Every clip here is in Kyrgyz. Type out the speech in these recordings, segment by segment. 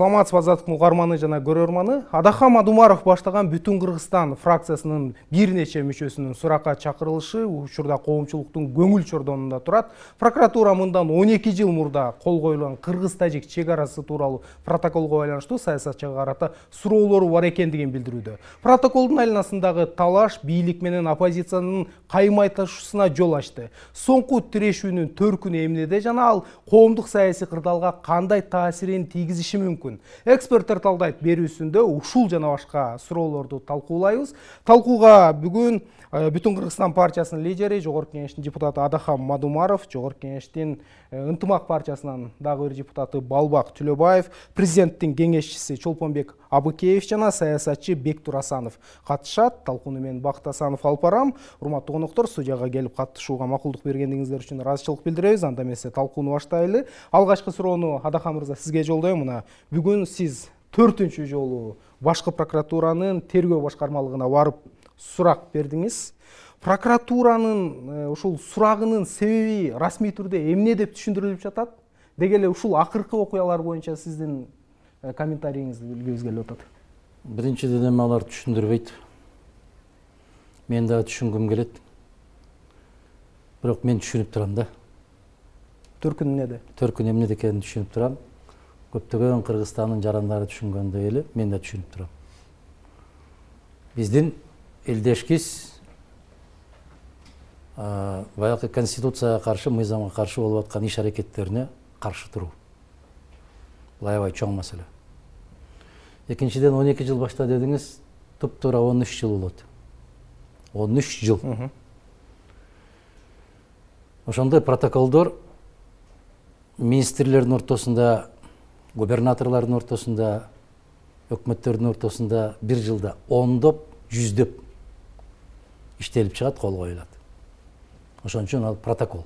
Саламатсызбы азаттыктын угарманы жана көрөрманы. Адахан Мадумаров баштаган Бүтүн Кыргызстан фракциясынын бир нече мүчөсүнүн суракка чакырылышы учурда коомчулуктун көңүл чордонунда турат. Прокуратура мындан 12 жыл мурда кол коюлган кыргыз-тажик чек арасы тууралуу протоколго байланыштуу саясатчыга карата суроолору бар экендигин билдирүүдө. Протоколдун айланасындагы талаш бийлик менен оппозициянын каймайташуусуна жол ачты. Соңку тирешүүнүн төркүнү эмнеде жана ал коомдук саясий кырдаалга кандай таасирин тийгизиши мүмкүн? Эксперттер талдайт берүүсүндө ушул жана башка суроолорду талкуулайбыз. Талкууга бүгүн Бүтүн Кыргызстан партиясынын лидери, Жогорку Кеңештин депутаты Адахан Мадумаров, Жогорку Кеңештин Ынтымак партиясынын дагы бир депутаты Балбак Түлөбаев, президенттин кеңешчиси Чолпонбек Абыкеев жана саясатчы Бектур Асанов катышат. Талкууну мен Бакыт Асанов алып барам. Урматтуу коноктор, студияга келип катышууга макулдук бергендиңиздер үчүн ыраазычылык билдиребиз. Анда эмесе талкууну баштайлы. Алгачкы суроону Адахан мырза сизге жолдойм. Мына бүгүн сиз 4-үнчү жолу башкы прокуратуранын тергөө башкармалыгына барып сурак бердиңиз. Прокуратуранын ушул сурагынын себеби расмий түрдө эмне деп түшүндүрүлүп жатат? Деги эле ушул акыркы окуялар боюнча сиздин комментарийиңизди билгибиз келип атат. Биринчиден эми алар түшүндүрбөйт. Мен да түшүнгүм келет. Бирок мен түшүнүп турам да. Төркүн эмнеде? Төркүн эмнеде экенин түшүнүп турам. Көптөгөн Кыргызстандын жарандары түшүнгөндөй эле мен да түшүнүп турам. Биздин элдешкиз баягы конституцияга каршы, мыйзамга каршы болуп аткан иш аракеттерине каршы туруу. Бул аябай чоң маселе. Экинчиден 12 жыл башта дедиңиз, туп-туура 13 жыл болот. 13 жыл. Ошондой протоколдор министрлердин ортосунда, губернаторлордун ортосунда, өкмөттөрдүн ортосунда бир жылда ондоп, жүздөп иштелип чыгат, кол коюлат. Ошон үчүн ал протокол.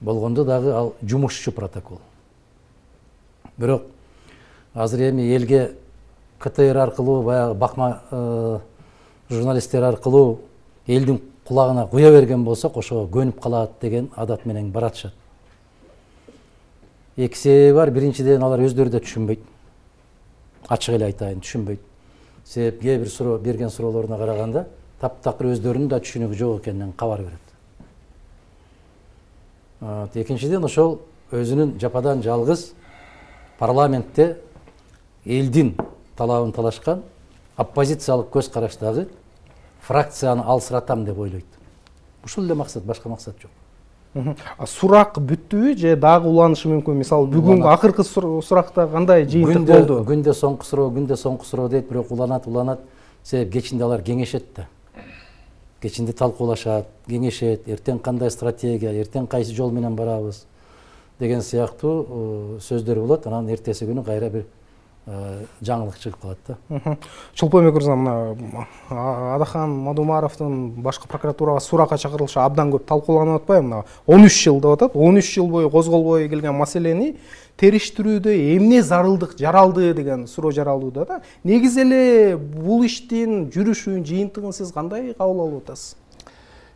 Болгондо дагы ал жумушчу протокол. Бирок азыр эми элге КТР аркылуу, баягы бакма журналисттер аркылуу элдин кулагына куя берген болсок, ошого көнүп калат деген адат менен баратышат. Эки себеби бар. Биринчиден алар өздөрү да түшүнбөйт. Ачык эле айтайын, түшүнбөйт. Себеп кээ бир суроо берген суроолоруна караганда таптакыр өздөрүнүн да түшүнүгү жок экенинен кабар берет. Экинчиден ошол өзүнүн жападан жалгыз парламентте элдин талабын талашкан оппозициялык көз караштагы фракцияны алсыратам деп ойлойт. Ушул эле максат, башка максат жок. Сурак бүттүбү же дагы уланышы мүмкүн? Мисалы бүгүн акыркы суракта кандай жыйынтык болду? Күндө соңку суроо дейт, бирок уланат. Себеп кечинде алар кеңешет да. Кечинде талкуулашат, кеңешет, эртең кандай стратегия, эртең кайсы жол менен барабыз деген сыяктуу сөздөр болот. Анан эртеси күнү кайра бир жаңылык чыгып калат да. Чолпонбек мырза, мына Адахан Мадумаровдун башкы прокуратурага суракка чакырылышы абдан көп талкууланып атпайбы? Мына 13 жыл деп атат. 13 жыл бою козголбой келген маселени териштирүүдө эмне зарылдык жаралды деген суроо жаралууда да. Негизи эле бул иштин жүрүшүн, жыйынтыгын сиз кандай кабыл алып атасыз?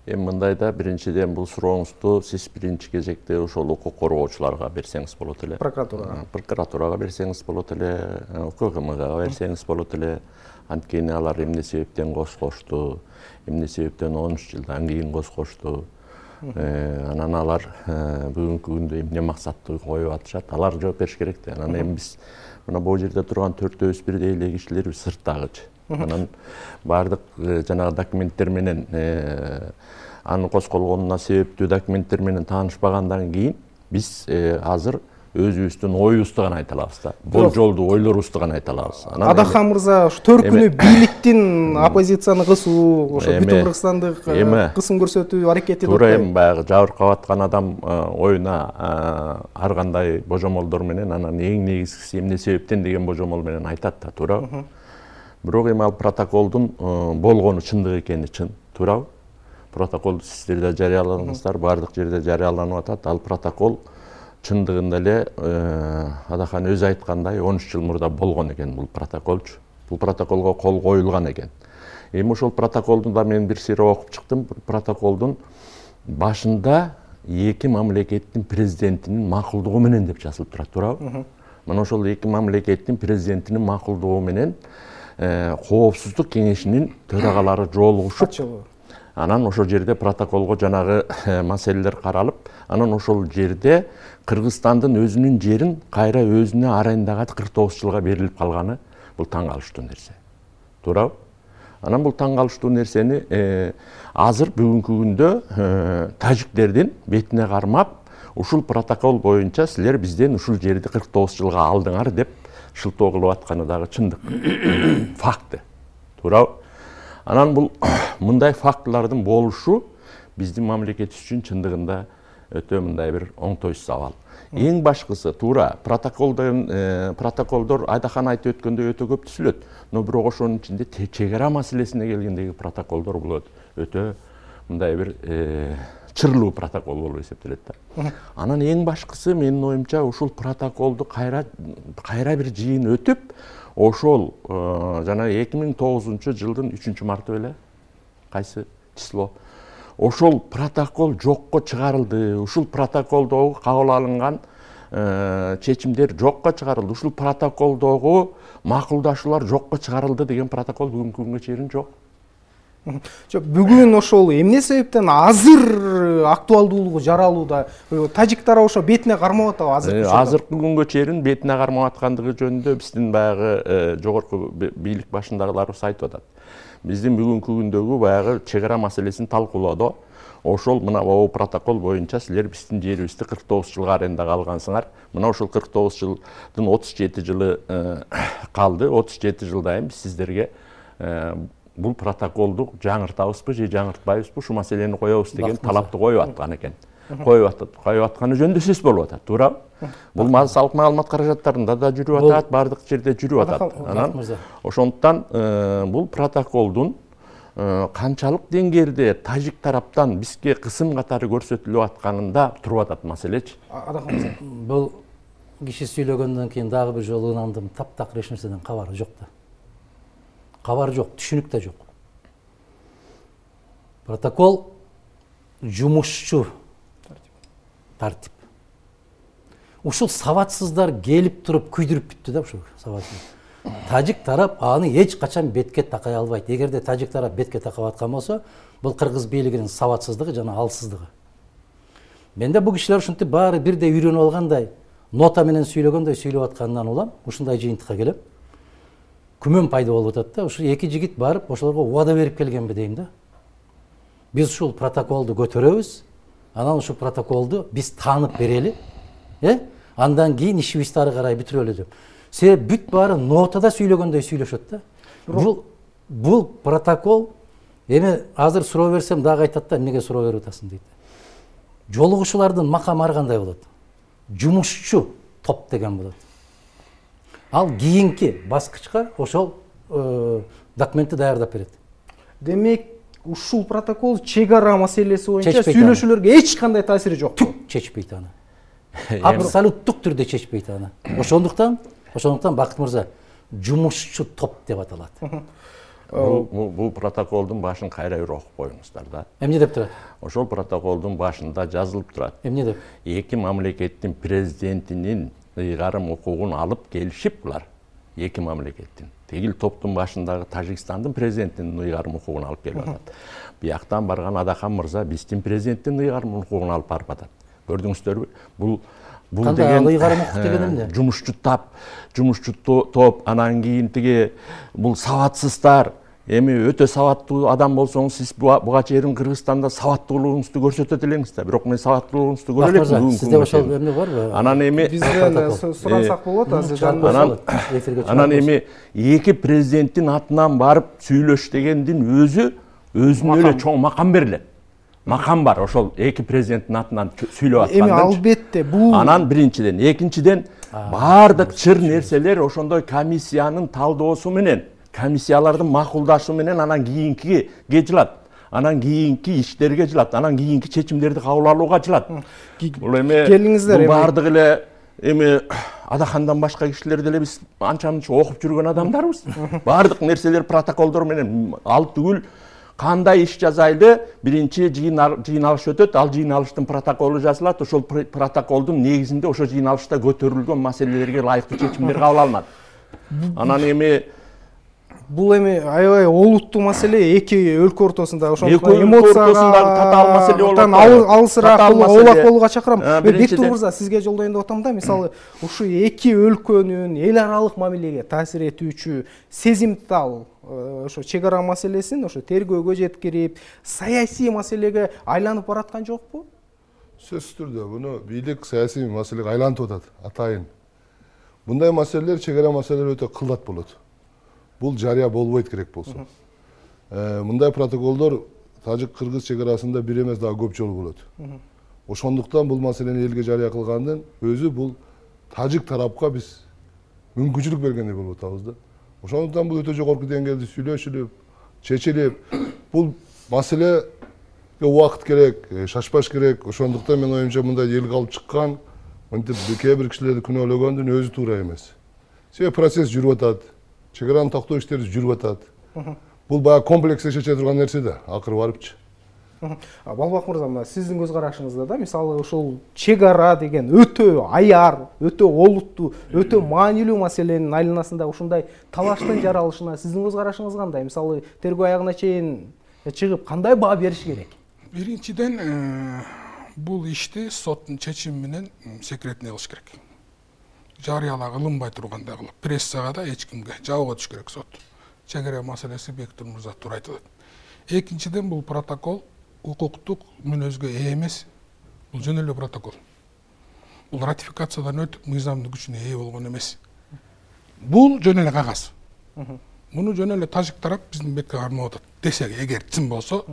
Эми мындайда, биринчиден бул сурооңузду сиз биринчи кезекте ошол укук коргоочуларга берсеңиз болот эле. Прокуратурага берсеңиз болот эле, УКМКга берсеңиз болот эле. Анткени алар эмне себептен козгошту, эмне себептен 13 жылдан кийин козгошту. Анан алар бүгүнкү күндө эмне максатты коюп атышат, алар жооп бериш керек да. Анан эми биз мына бул жерде турган 4-өбүз бирдей эле кишилер сырттагычы. Анан бардык жанагы документтер менен анын козголгонуна себептүү документтер менен таанышпагандан кийин биз азыр өзүбүздүн оюбузду гана айта алабыз да. Болжолдуу ойлорубузду гана айта алабыз. Адахан мырза, ушу төркүнү бийликтин оппозицияны кысуу, ошо Бүтүн Кыргызстандык кысым көрсөтүү аракети деп туура эми баягы жабыркап аткан адам оюна ар кандай божомолдор менен, анан эң негизгиси эмне себептен деген божомол менен айтат да, туурабы? Бирок эми ал протоколдун болгону чындык экени чын, туурабы? Протоколду сиздер да жарыяладыңыздар, бардык жерде жарыяланып атат. Ал протокол чындыгында эле Адахан өзү айткандай 13 жыл мурда болгон экен бул протоколчу. Бул протоколго кол коюлган экен. Эми ошол протоколду да мен бир сыйра окуп чыктым. Протоколдун башында эки мамлекеттин президентинин макулдугу менен деп жазылып турат, туурабы? Мына ошол эки мамлекеттин президентинин макулдугу менен коопсуздук кеңешинин төрагалары жолугушуп, анан ошол жерде протоколго жанагы маселелер каралып, анан ошол жерде Кыргызстандын өзүнүн жерин кайра өзүнө арендага 49 жылга берилип калганы бул таң калыштуу нерсе. Туурабы? Анан бул таң калыштуу нерсени азыр бүгүнкү күндө тажиктердин бетине кармап, ушул протокол боюнча силер бизден ушул жерди 49 жылга алдыңар деп шылтоо кылып атканы дагы чындык. Факты. Туурабы? Анан бул мындай фактылардын болушу биздин мамлекетибиз үчүн чындыгында өтө мындай бир оңтойсуз абал. Эң башкысы туура протоколдор Айдахан айтып өткөндөй өтө көп түзүлөт. Но бирок ошонун ичинде чек ара маселесине келгендеги протоколдор бул өтө мындай бир чырлуу протокол болуп эсептелет да. Анан эң башкысы менин оюмча ушул протоколду кайра бир жыйын өтүп, ошол жана 2009 жылдын 3-марты беле кайсы число ошол протокол жокко чыгарылды. Ушул протоколдогу кабыл алынган чечимдер жокко чыгарылды. Ушул протоколдогу макулдашуулар жокко чыгарылды деген протокол бүгүнкү күнгө чейин жок. Бүгүн ошол эмне себептен азыр актуалдуулугу жаралууда? Тажик тарабы ошо бетине кармап атабы азыр? Азыркы күнгө чейин бетине кармап аткандыгы жөнүндө биздин баягы жогорку бийлик башындагыларыбыз айтып атат. Биздин бүгүнкү күндөгү баягы чек ара маселесин талкуулоодо ошол мына бул протокол боюнча силер биздин жерибизди 49 жылга арендага алгансыңар. Мына ошол 49 жылдын 37 жылы калды. 37 жылдан биз сиздерге бул протоколду жаңыртабызбы же жаңыртпайбызбы, ушу маселени коебуз деген талапты коюп аткан экен. Коюп атканы жөнүндө сөз болуп атат, туурабы? Бул салык маалымат каражаттарында да жүрүп атат, бардык жерде жүрүп атат. Анан ошондуктан бул протоколдун канчалык деңгээлде тажик тараптан бизге кысым катары көрсөтүлүп атканында туруп атат маселечи. Бул киши сүйлөгөндөн кийин дагы бир жолу ынандым, таптак эч нерседен кабары жок да. Кабар жок, түшүнүк да жок. Протокол жумушчу тартип. Ушул сабатсыздар келип туруп күйдүрүп бүттү да ушул сабатсыз. Тажик тарап аны эч качан бетке такай албайт. Эгерде тажик тарап бетке такап аткан болсо, бул кыргыз бийлигинин сабатсыздыгы жана алсыздыгы. Менде бул кишилер ушинтип баары бирдей үйрөнүп алгандай, нота менен сүйлөгөндөй сүйлөп атканынан улам, ушундай жыйынтыкка келем. Күмөн пайда болуп атат да, ушу эки жигит барып ошолорго убада берип келгенби дейм да. Биз ушул протоколду көтөрөбүз, анан ушул протоколду биз таанып берели, андан кийин ишибизди ары карай бүтүрөлү деп. Себеп бүт баары нотада сүйлөгөндөй сүйлөшөт да. Бул протокол эми азыр суроо берсем дагы айтат да, эмнеге суроо берип атасың дейт. Жолугушуулардын макамы ар кандай болот? Жумушчу топ деген болот. Ал кийинки баскычка ошол документти даярдап берет. Демек, ушул протокол чек ара маселеси боюнча сүйлөшүүлөргө эч кандай таасири жок. Чечпейт аны. Абсолюттук түрдө чечпейт аны. Ошондуктан Бакыт мырза, жумушчу топ деп аталат. Бул протоколдун башын кайра бир окуп коюңуздар да. Эмне деп турат? Ошол протоколдун башында жазылып турат. Эмне деп? Эки мамлекеттин президентинин ыйгарым укугун алып келишип булар. Эки мамлекеттин. Тегил топтун башындагы Тажикстандын президентинин ыйгарым укугун алып келип атат. Бияктан барган Адахан мырза биздин президенттин ыйгарым укугун алып барып атат. Көрдүңүздөрбү? Бул деген ыйгарым укук деген эмне? Жумушчу топ, анан кийин тиги бул сабатсыздар. Эми өтө сабаттуу адам болсоңуз, сиз буга чейин Кыргызстанда сабаттуулугуңузду көрсөтөт элеңиз да. Бирок мен сабаттуулугуңузду көрө элекмин бүгүнкү күндө. Сизде ошол эмне барбы? Анан эми бизден сурансак болот, азыр анан эми эки президенттин атынан барып сүйлөш дегендин өзүнө эле чоң макам берилет. Макам бар ошол эки президенттин атынан сүйлөп атканда. Эми албетте бул анан биринчиден, экинчиден баардык чыр нерселер ошондой комиссиянын талдоосу менен, комиссиялардын макулдашуу менен анан кийинки жылат. Анан кийинки иштерге жылат, анан кийинки чечимдерди кабыл алууга жылат. Бул эми келиңиздер баардык эле эми Адахандан башка кишилер деле биз анча-мынча окуп жүргөн адамдарбыз. Баардык нерселер протоколдор менен ал түгүл кандай иш жасайлы, биринчи жыйналыш өтөт, ал жыйналыштын протоколу жазылат, ошол протоколдун негизинде ошо жыйналышта көтөрүлгөн маселелерге ылайыктуу чечимдер кабыл алынат. Анан эми бул эми аябай олуттуу маселе, эки өлкө ортосунда ошондой эмоцияга татаал маселе болот. Алысыраак оолак болууга чакырам. Бектур мырза, сизге жолдоюн деп атам да, мисалы ушу эки өлкөнүн эл аралык мамилеге таасир этүүчү сезимтал ошо чек ара маселесин ошо тергөөгө жеткирип, саясий маселеге айланып бараткан жокпу? Сөзсүз түрдө муну бийлик саясий маселеге айлантып атат атайын. Мындай маселелер, чек ара маселелер өтө кылдат болот. Бул жарыя болбойт керек болсо. Мындай протоколдор тажик-кыргыз чек арасында бир эмес, дагы көп жолу болот. Ошондуктан бул маселени элге жарыя кылгандын өзү бул тажик тарапка биз мүмкүнчүлүк бергендей болуп атабыз да. Ошондуктан бул өтө жогорку деңгээлде сүйлөшүлүп, чечилип, бул маселеге убакыт керек, шашпаш керек. Ошондуктан мен оюмча мындай элге алып чыккан, мынтип кээ бир кишилерди күнөөлөгөндүн өзү туура эмес. Себеби процесс жүрүп атат. Чек араны токтоо иштери жүрүп атат. Бул баягы комплекс чече турган нерсе да, акыры барыпчы. Балбак мырза, мына сиздин көз карашыңызда да, мисалы ушул чек ара деген өтө аяр, өтө олуттуу, өтө маанилүү маселенин айланасында ушундай талаштын жаралышына сиздин көз карашыңыз кандай? Мисалы тергөө аягына чейин чыгып кандай баа бериш керек? Биринчиден, бул ишти соттун чечими менен секретный кылыш керек. Жарыялаа кылынбай тургандай кылып, прессага да эч кимге жабууга түш керек сот. Чек ара маселеси Бектур мырза туура айтып атат. Экинчиден, бул протокол укуктук мүнөзгө ээ эмес. Бул жөн эле протокол. Бул ратификациядан өтүп, мыйзамдын күчүнө ээ болгон эмес. Бул жөн эле кагаз. Муну жөн эле тажик тарап биздин бетке кармап атат. Десек, эгер чын болсо,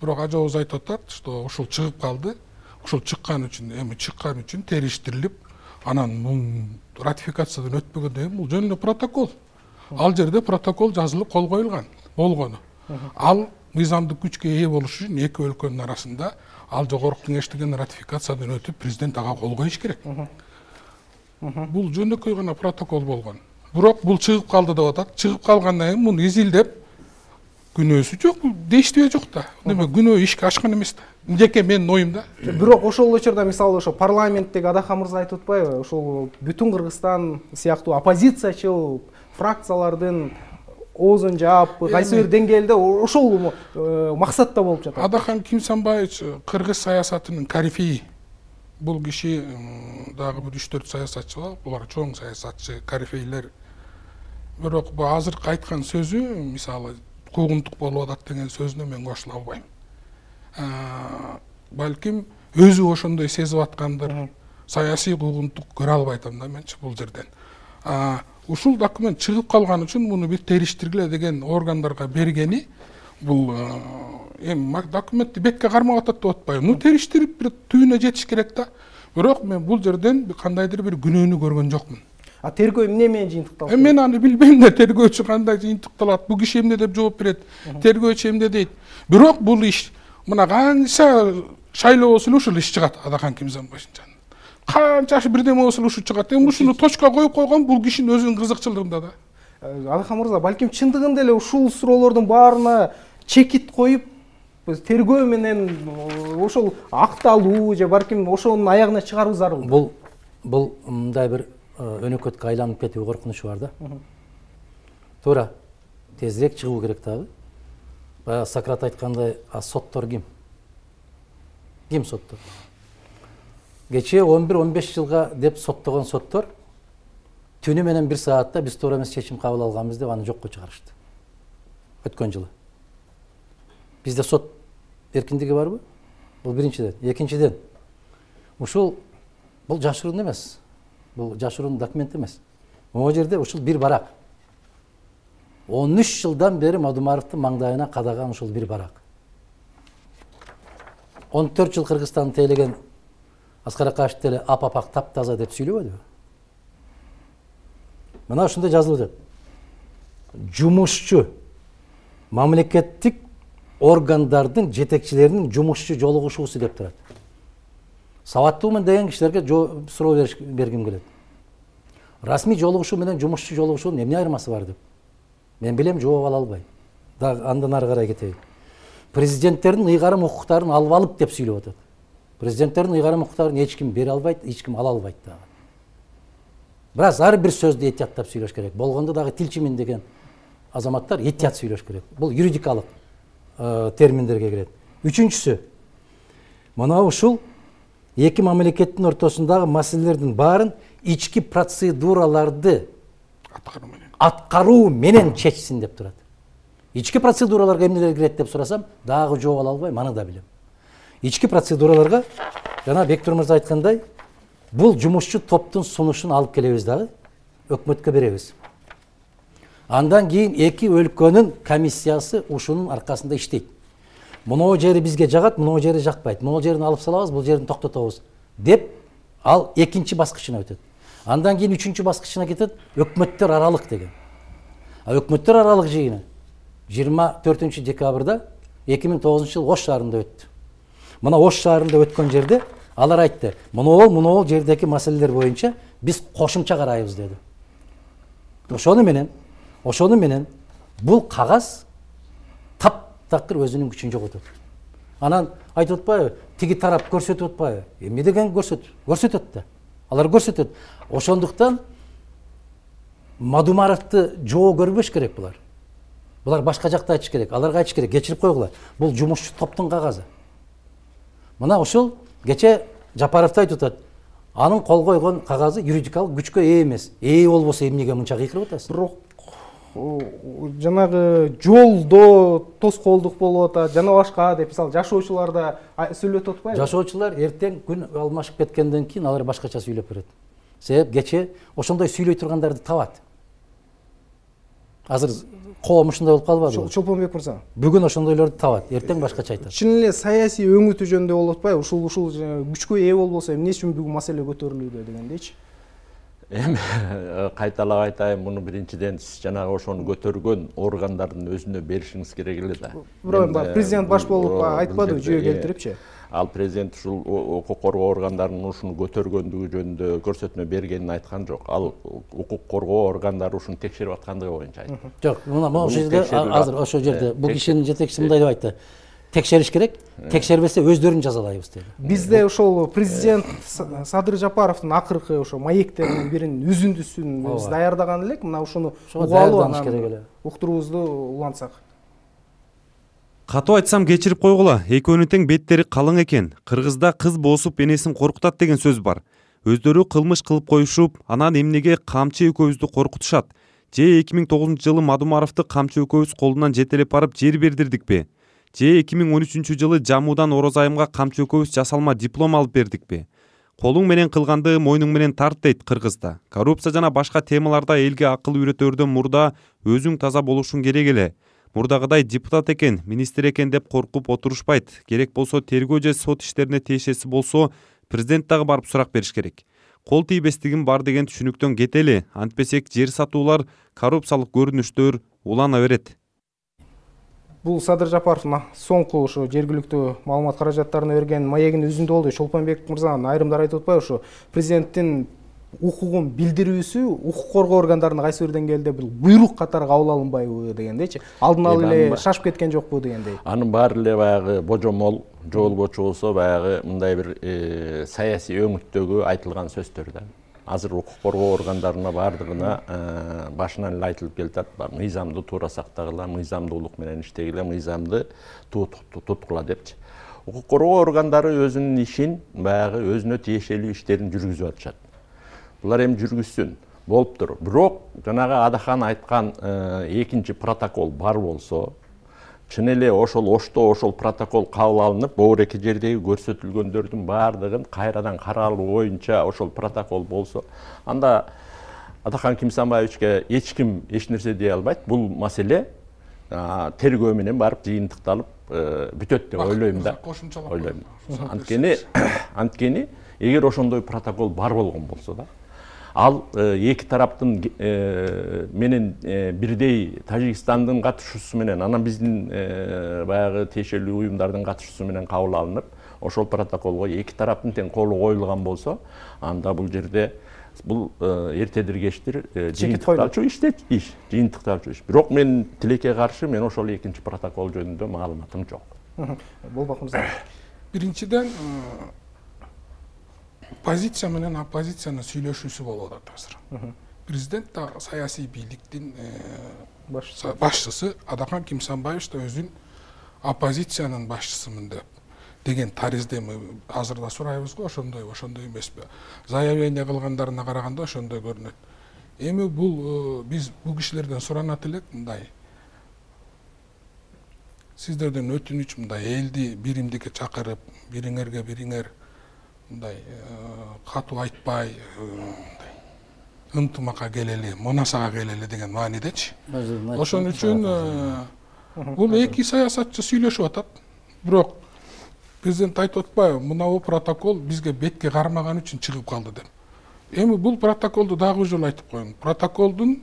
бирок ажообуз айтып атат, что ушул чыгып калды. Ушул чыккан үчүн териштирилип, анан бул ратификациядан өтпөгөндөн кийин бул жөн эле протокол. Ал жерде протокол жазылып кол коюлган болгону. Ал мыйзамдык күчкө ээ болуш үчүн эки өлкөнүн арасында ал жогорку кеңештиген ратификациядан өтүп, президент ага кол коюш керек. Бул жөнөкөй гана протокол болгон. Бирок бул чыгып калды деп атат. Чыгып калгандан кийин муну изилдеп, күнөөсү жок, дештие жок да. Неме күнөө ишке ашкан эмес да. Жеке менин оюмда. Бирок ошол учурда мисалы ошо парламенттеги Адахан мырза айтып атпайбы? Ошол бүтүн Кыргызстан сыяктуу оппозициячыл фракциялардын оозун жаап, кайсы бир деңгээлде ошол максатта болуп жатат. Адахан Кимсанбаевич кыргыз саясатынын корифеи. Бул киши дагы бир 3-4 саясатчы бар, булар чоң саясатчы, корифейлер. Бирок бул азыркы айткан сөзү, мисалы, куугунтук болуп атат деген сөзүнө мен кошула албайм. Балким өзү ошондой сезип аткандыр. Саясий куугунтук көрө албайтам да менчи бул жерден. Ушул документ чыгып калган үчүн муну бир териштиргиле деген органдарга бергени, бул эми документти бетке кармап атат деп атпайбы. Ну териштирип бир түбүнө жетиш керек да. Бирок мен бул жерден кандайдыр бир күнөөнү көргөн жокмун. Тергөө эмне менен жыйынтыкталат? Мен аны билбейм да, тергөөчү кандай жыйынтыкталат, бул киши эмне деп жооп берет, тергөөчү эмне дейт. Бирок бул иш мына канча шайлоо болсо эле ушул иш чыгат Адахан Кимсанбаевичтин. Канча бирдеме болсо эле ушу чыгат. Эми ушуну точка коюп койгон бул кишинин өзүнүн кызыкчылыгында да. Адахан мырза, балким чындыгында эле ушул суроолордун баарына чекит коюп, тергөө менен ошол акталуу же балким ошонун аягына чыгаруу зарыл. Бул мындай бир өнөкөткө айланып кетүү коркунучу бар да. Туура. Тезирээк чыгуу керек дагы. Баягы Сократ айткандай, соттор ким? Ким соттор? Кечээ 11-15 жылга деп соттогон соттор түнү менен 1 саатта биз туура эмес чечим кабыл алганбыз деп аны жокко чыгарышты. Өткөн жылы. Бизде сот эркиндиги барбы? Бул биринчиден. Экинчиден, ушул бул жашыруун эмес. Бул жашыруун документ эмес. Могу жерде ушул бир барак. 13 жылдан бери Мадумаровдун маңдайына кадаган ушул бир барак. 14 жыл Кыргызстанды тейлеген Аскар Акашев деле ап-апак таптаза деп сүйлөбөдүбү? Мына ушунда жазылып жатат. Жумушчу мамлекеттик органдардын жетекчилеринин жумушчу жолугушуусу деп турат. Сабаттуумун деген кишилерге суроо бергим келет. Расмий жолугушуу менен жумушчу жолугушуунун эмне айырмасы бар деп. Мен билем, жооп ала албайм. Да андан ары карай кетейин. президенттердин ыйгарым укуктарын алып деп сүйлөп атат. Президенттердин ыйгарым укуктарын эч ким бере албайт, эч ким ала албайт дагы. Бирок ар бир сөздү этияттап сүйлөш керек. Болгондо дагы тилчимин деген азаматтар этият сүйлөш керек. Бул юридикалык терминдерге кирет. Үчүнчүсү, мына ушул эки мамлекеттин ортосундагы маселелердин баарын ички процедураларды аткаруу менен чечсин деп турат. Ички процедураларга эмнелер кирет деп сурасам, дагы жооп ала албайм, аны да билем. Ички процедураларга жана Бектур мырза айткандай, бул жумушчу топтун сунушун алып келебиз дагы, өкмөткө беребиз. Андан кийин эки өлкөнүн комиссиясы ушунун аркасында иштейт. Мынау жери бизге жагат, мынау жери жакпайт. Мынау жерин алып салабыз, бул жерин токтотобуз деп ал экинчи баскычына өтөт. Андан кийин үчүнчү баскычына кетет, өкмөттөр аралык деген. Өкмөттөр аралык жыйыны 24 декабрда 2009 жыл Ош шаарында өттү. Мына Ош шаарында өткөн жерде алар айтты, мынау жердеги маселелер боюнча биз кошумча карайбыз деди. Ошону менен бул кагаз таптакыр өзүнүн күчүн жоготот. Анан айтып атпайбы, тиги тарап көрсөтүп атпайбы? Эмне деген көрсөтөт да. Алар көрсөтөт. Ошондуктан Мадумаровду жоо көрбөш керек булар. Булар башка жакта айтыш керек. Аларга айтыш керек, кечирип койгула. Бул жумушчу топтун кагазы. Мына ушул кече Жапаровду айтып атат. Анын кол койгон кагазы юридикалык күчкө ээ эмес. Ээ болбосо эмнеге мынча кыйкырып атасыз? Бирок жанагы жолдо тоскоолдук болуп атат, жана башка деп мисалы жашоочулар да сүйлөтүп атпайбы? Жашоочулар эртең күн алмашып кеткенден кийин алар башкача сүйлөп берет. Себеп кече ошондой сүйлөй тургандарды табат. Азыр коом ушундай болуп калбадыбы? Чолпонбек мырза. Бүгүн ошондойлорду табат, эртең башкача айтат. Чын эле саясий өңүтүү жөнүндө болуп атпайбы? Ушул күчкө ээ болбосо эмне үчүн бүгүн маселе көтөрүлүүдө дегендейчи. Эми кайталап айтайын, муну биринчиден сиз жанагы ошону көтөргөн органдардын өзүнө беришиңиз керек эле да. Бирок президент баш болуп айтпадыбы жүйө келтирипчи? Ал президент ушул укук коргоо органдарынын ушуну көтөргөндүгү жөнүндө көрсөтмө бергенин айткан жок. Ал укук коргоо органдары ушуну текшерип аткандыгы боюнча айтты. Жок, мына ошол жерде азыр ошол жерде бул кишинин жетекчиси мындай деп айтты. Текшериш керек, текшербесе өздөрүн жазалайбыз деди. Бизде ошол президент Садыр Жапаровдун акыркы ошо маектеринин биринин үзүндүсүн биз даярдаган элек. Мына ушуну угалы анан уктуруубузду улантсак. Катуу айтсам кечирип койгула, экөөнүн тең беттери калың экен. Кыргызда кыз боосуп энесин коркутат деген сөз бар. Өздөрү кылмыш кылып коюшуп, анан эмнеге камчы экөөбүздү коркутушат? Же 2009 жылы Мадумаровду камчы экөөбүз колунан жетелеп барып жер бердирдикпи? Же 2013 жылы Жамуудан Орозайымга камчы экөөбүз жасалма диплом алып бердикпи? Колуң менен кылганды мойнуң менен тарт дейт Кыргызда. Коррупция жана башка темаларда элге акыл үйрөтөрдөн мурда өзүң таза болушуң керек эле. Мурдагыдай депутат экен, министр экен деп коркуп отурушпайт. Керек болсо тергөө же сот иштерине тиешеси болсо, президент дагы барып сурак бериш керек. Кол тийбестигим бар деген түшүнүктөн кетели. Антпесек жер сатуулар, коррупциялык көрүнүштөр улана берет. Бул Садыр Жапаровдун соңку ошо жергиликтүү маалымат каражаттарына берген маегинин үзүндө болду. Чолпонбек мырзанын айрымдары айтып атпайбы, ошо президенттин укугун билдирүүсү укук коргоо органдарына кайсы бир деңгээлде бул буйрук катары кабыл алынбайбы дегендейчи. Алдын ала эле шашып кеткен жокпу дегендей. Анын баары эле баягы божомол, жоолгочу болсо баягы мындай бир саясий өңүттөгү айтылган сөздөр да. Азыр укук коргоо органдарына баардыгына башынан эле айтылып келатат. Мыйзамды туура сактагыла, мыйзамдуулук менен иштегиле, мыйзамды туткула депчи. Укук коргоо органдары өзүнүн ишин баягы өзүнө тиешелүү иштерин жүргүзүп атышат. Булар эми жүргүзсүн, болуптур. Бирок жанагы Адахан айткан экинчи протокол бар болсо, чын эле ошол Ошто ошол протокол кабыл алынып, боор эки жердеги көрсөтүлгөндөрдүн баардыгын кайрадан каралуу боюнча ошол протокол болсо, анда Адахан Кимсанбаевичке эч ким эч нерсе дей албайт. Бул маселе тергөө менен барып жыйынтыкталып бүтөт деп ойлойм да. Анткени эгер ошондой протокол бар болгон болсо да, ал эки тараптын менен бирдей Тажикстандын катышуусу менен, анан биздин баягы тиешелүү уюмдардын катышуусу менен кабыл алынып, ошол протоколго эки тараптын тең колу коюлган болсо, анда бул жерде бул эртедир кечтир жыйынтыкталчу иш. Бирок мен тилекке каршы, мен ошол экинчи протокол жөнүндө маалыматым жок. Болбок мырза. Биринчиден позиция менен оппозициянын сүйлөшүүсү болуп атат азыр. Президент да саясий бийликтин башчысы Адахан Кимсанбаевич да өзүн оппозициянын башчысымын деген таризде азыр да сурайбыз го, ошондой эмеспи? Заявление кылгандарына караганда ошондой көрүнөт. Эми бул биз бул кишилерден суранат элек мындай. Сиздерден өтүнүч мындай элди биримдикке чакырып, бириңер мындай катуу айтпай, ынтымакка келели, мунасага келели деген маанидечи. Ошон үчүн бул эки саясатчы сүйлөшүп атат. Бирок президент айтып атпайбы, мынабу протокол бизге бетке кармаган үчүн чыгып калды деп. Эми бул протоколду дагы бир жолу айтып коеюн. Протоколдун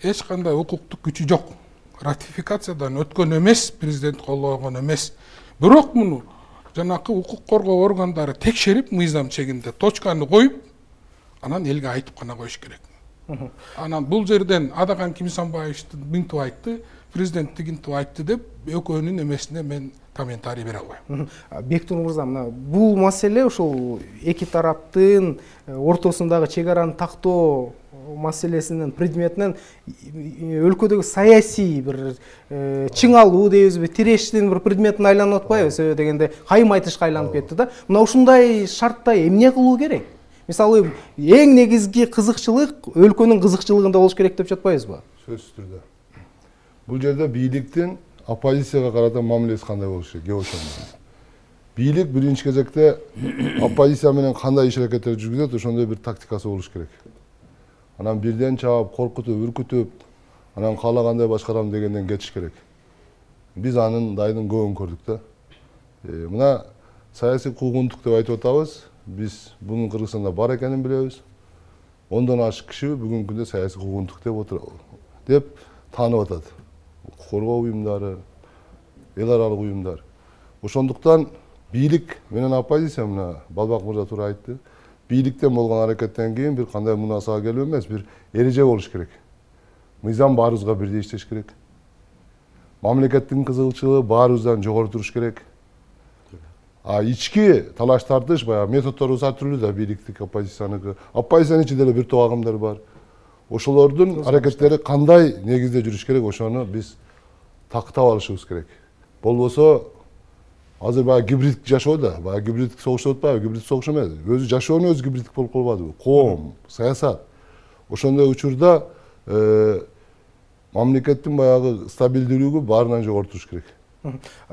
эч кандай укуктук күчү жок. Ратификациядан өткөн эмес, президент колдогон эмес. Бирок муну жанакы укук коргоо органдары текшерип, мыйзам чегинде точканы коюп, анан элге айтып гана коюш керек. Анан бул жерден Адахан Кимсанбаевич мынтип айтты, президент тигинтип айтты деп экөөнүн эмесине мен комментарий бере албайм. Бектур мырза, мына бул маселе ушул эки тараптын ортосундагы чек араны тактоо маселесинин предметинен өлкөдөгү саясий бир чыңалуу дейбизби, тирештин бир предметине айланып атпайбы? Себеби дегенде кайым айтышка айланып кетти да. Мына ушундай шартта эмне кылуу керек? Мисалы, эң негизги кызыкчылык өлкөнүн кызыкчылыгында болуш керек деп жатпайбызбы? Сөзсүз түрдө. Бул жерде бийликтин оппозицияга карата мамилеси кандай болуш керек? Бийлик биринчи кезекте оппозиция менен кандай иш-аракеттер жүргүзөт, ошондой бир тактикасы болуш керек. Анан бирден чаап, коркутуп, үркүтүп, анан каалагандай башкарам дегенден кетиш керек. Биз анын дайынын көбүн көрдүк да. Мына саясий куугунтук деп айтып атабыз. Биз бунун Кыргызстанда бар экенин билебиз. 10дон ашык киши бүгүнкү күндө саясий куугунтук деп таанып атат. Коргоо уюмдары, эл аралык уюмдар. Ошондуктан бийлик менен оппозиция, мына Балбак мырза туура айтты. Бийликтен болгон аракеттен кийин бир кандай мунасага келүү эмес, бир эреже болуш керек. Мыйзам баарыбызга бирдей иштеш керек. Мамлекеттин кызыкчылыгы баарыбыздан жогору туруш керек. Ички талаш тартыш баягы методдорубуз ар түрлүү да, бийликтик, оппозицияныкы. Оппозициянын ичинде деле бир топ агымдар бар. Ошолордун аракеттери кандай негизде жүрүш керек, ошону биз тактап алышыбыз керек. Болбосо азыр баягы гибриддик жашоо да, баягы гибриддик согуш деп атпайбы? Гибриддик согуш эмес. Өзү жашоонун өзү гибриддик болуп калбадыбы? Коом, саясат. Ошондой учурда мамлекеттин баягы стабилдүүлүгү баарынан жогору туруш керек.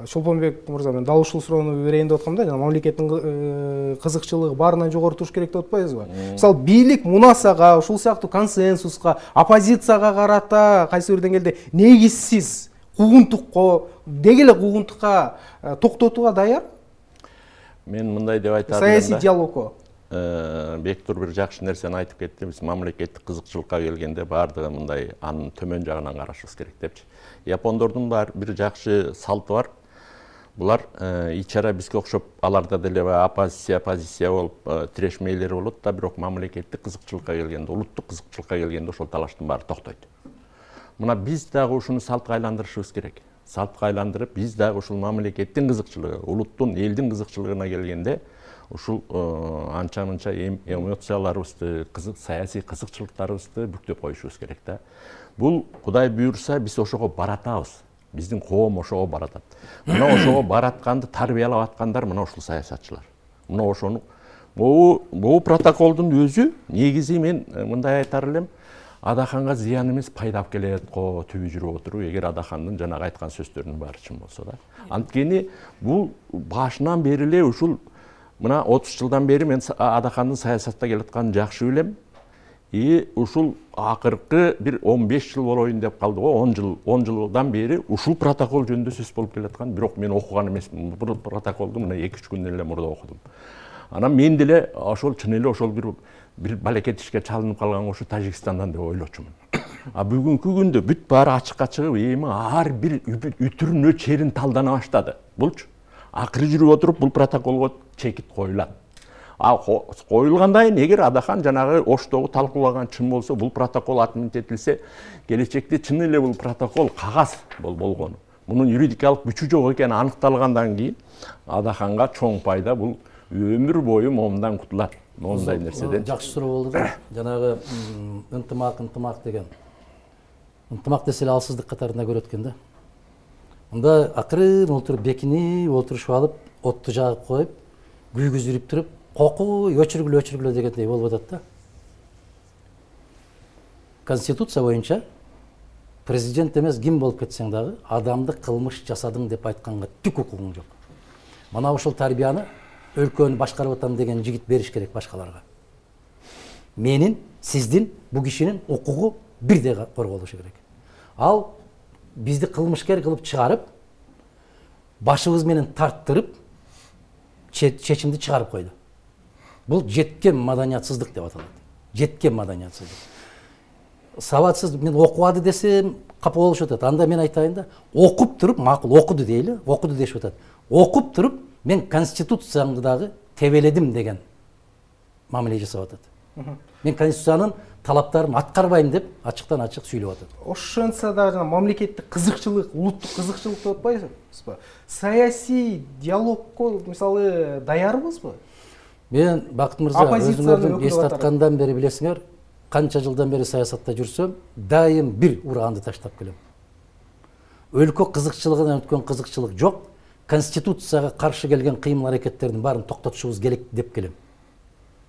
Шолпонбек мырза, мен дал ушул суроону берейин деп аткам да, жана мамлекеттин кызыкчылыгы баарынан жогору туруш керек деп атпайбызбы? Мисалы, бийлик мунасага, ушул сыяктуу консенсуска, оппозицияга карата кайсы бир деңгээлде негизсиз куугунтукка, деги эле куугунтукка токтотууга даяр? Мен мындай деп айтам. Саясий диалогко. Бектур бир жакшы нерсени айтып кетти. Биз мамлекеттик кызыкчылыкка келгенде баардыгы мындай анын төмөн жагынан карашыбыз керек депчи. Япондордун бир жакшы салты бар. Булар ичара бизге окшоп, аларда деле оппозиция, позиция болуп тирешмейлер болот да, бирок мамлекеттик кызыкчылыкка келгенде, улуттук кызыкчылыкка келгенде ошол талаштын баары токтойт. Мына биз дагы ушуну салтка айландырышыбыз керек. Салтка айландырып, биз дагы ушул мамлекеттин кызыкчылыгы, улуттун, элдин кызыкчылыгына келгенде ушул анча-мынча эмоцияларыбызды, саясий кызыкчылыктарыбызды бүктөп коюшубуз керек да. Бул Кудай буйрса биз ошого баратабыз. Биздин коом ошого баратат. Мына ошого баратканды тарбиялап аткандар мына ушул саясатчылар. Мына ошону бул протоколдун өзү негизи мен мындай айтар элем, Адаханга зыян эмес, пайда алып келет го түбү жүрүп отуруп, эгер Адахандын жанагы айткан сөздөрүнүн баары чын болсо да. Анткени бул башынан бери эле ушул мына 30 жылдан бери мен Адахандын саясатта келатканын жакшы билем. Ушул акыркы бир 15 жыл болоюн деп калды го, 10 жылдан бери ушул протокол жөнүндө сөз болуп келаткан, бирок мен окуган эмесмин. Бул протоколду мына 2-3 күндөн эле мурда окудум. Анан мен деле ошол чын эле ошол бир балекет ишке чалынып калган ошо Тажикстандан деп ойлочумун. Бүгүнкү күндө бүт баары ачыкка чыгып, эми ар бир үтүрүнө черин талдана баштады. Булчу акыры жүрүп отуруп бул протоколго чекит коюлат. Коюлгандан кийин эгер Адахан жанагы Оштогу талкуулаган чын болсо, бул протокол отменить этилсе, келечекте чын эле бул протокол кагаз болгону. мунун юридикалык күчү жок экени аныкталгандан кийин Адаханга чоң пайда бул өмүр бою момундан кутулат. Момундай нерседен. Жакшы суроо болду да. Жанагы ынтымак деген. Ынтымак десе эле алсыздык катарында көрөт экен да. Мында акырын олтуруп бекинип олтурушуп алып, отту жагып коюп, күйгүзүрүп туруп, кокуй өчүргүлө дегендей болуп атат да. Конституция боюнча президент эмес ким болуп кетсең дагы адамды кылмыш жасадың деп айтканга түк укугуң жок. Мына ушул тарбияны өлкөнү башкарып атам деген жигит бериш керек башкаларга. Менин, сиздин, бу кишинин укугу бирдей корголушу керек. Ал бизди кылмышкер кылып чыгарып, башыбыз менен тарттырып, чечимди чыгарып койду. Бул жеткен маданиятсыздык деп аталат. Жеткен маданиятсыздык. Сабатсыз мен окубады десем капа болушуп атат. Анда мен айтайын да, окуп туруп, макул окуду дейли, окуду дешип атат. Окуп туруп, мен конституциямды дагы тебеледим деген мамиле жасап атат. Мен конституциянын талаптарын аткарбайм деп ачыктан ачык сүйлөп атат. Ошентсе да жана мамлекеттик кызыкчылык, улуттук кызыкчылык деп атпайсызбы? Саясий диалогко мисалы даярбызбы? Мен Бакыт мырза, өзүңөрдүн эстаткандан бери билесиңер, канча жылдан бери саясатта жүрсөм, дайым бир ураганды таштап келем. Өлкө кызыкчылыгынан өткөн кызыкчылык жок. Конституцияга каршы келген кыймыл аракеттердин баарын токтотушубуз керек деп келем.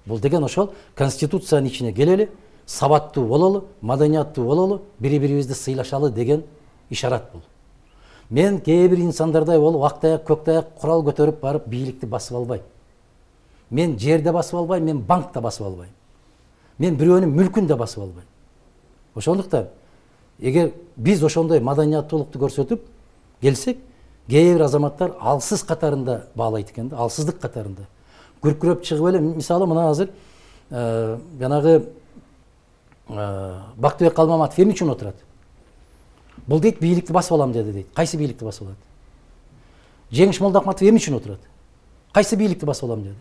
Бул деген ошол конституциянын ичине келели, сабаттуу бололу, маданияттуу бололу, бири-бирибизди сыйлашалы деген ишарат бул. Мен кээ бир инсандардай болуп, актаяк, көктаяк курал көтөрүп барып бийликти басып албайм. Мен жерде басып албайм, мен банкта басып албайм. Мен бирөөнүн мүлкүн да басып албайм. Ошондуктан эгер биз ошондой маданияттуулукту көрсөтүп келсек, кээ бир азаматтар алсыз катарында баалайт экен да, алсыздык катарында. Күркүрөп чыгып эле, мисалы мына азыр жанагы Бактыбек Калмаматов эмне үчүн отурат? Бул дейт бийликти басып алам деди дейт. Кайсы бийликти басып алат? Жеңиш Молдохматов эмне үчүн отурат? Кайсы бийликти басып алам деди?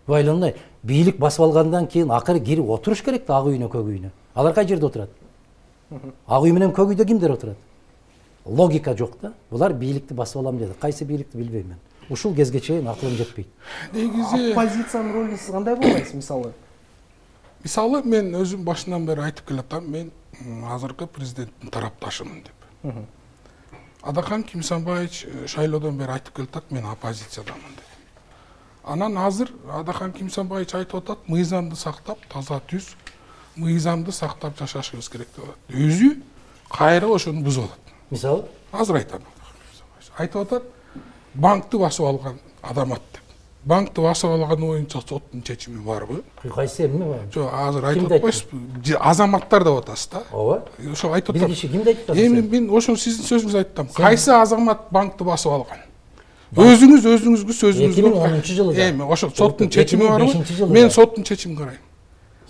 Байланмай, бийлик басып алгандан кийин акыры кирип отуруш керек да ак үйүнө, көк үйүнө. Алар кай жерде отурат? Ак үй менен көк үйдө кимдер отурат? Логика жок да. Булар бийликти басып алам деди. Кайсы бийликти билбейм мен. Ушул кезге чейин акылым жетпейт. Негизи оппозициянын ролун сиз кандай болбайсыз мисалы? Мисалы мен өзүм башынан бери айтып келатам, мен азыркы президенттин тарапташымын деп. Адахан Кимсанбаевич шайлоодон бери айтып келатат, мен оппозициядамын деп. Анан азыр Адахан Кимсанбаевич айтып атат, мыйзамды сактап, таза түз, мыйзамды сактап жашашыбыз керек деп атат. Өзү кайра ошону бузуп атат. Мисалы? Азыр айтам. Айтып атат, банкты басып алган адамат деп. Банкты басып алган боюнча соттун чечими барбы? Кайсы эмне бар? Жок, азыр айтып атпайсызбы? Азаматтар деп атасыз да? Ооба. Ошо айтып атат. Бир киши кимди айтып атасыз? Эми мен ошо сиздин сөзүңүздү айтам. Кайсы азамат банкты басып алган? Өзүңүзгө сөзүңүзгө 2010-жылы. Эми ошо соттун чечими барбы? Мен соттун чечимин карайм.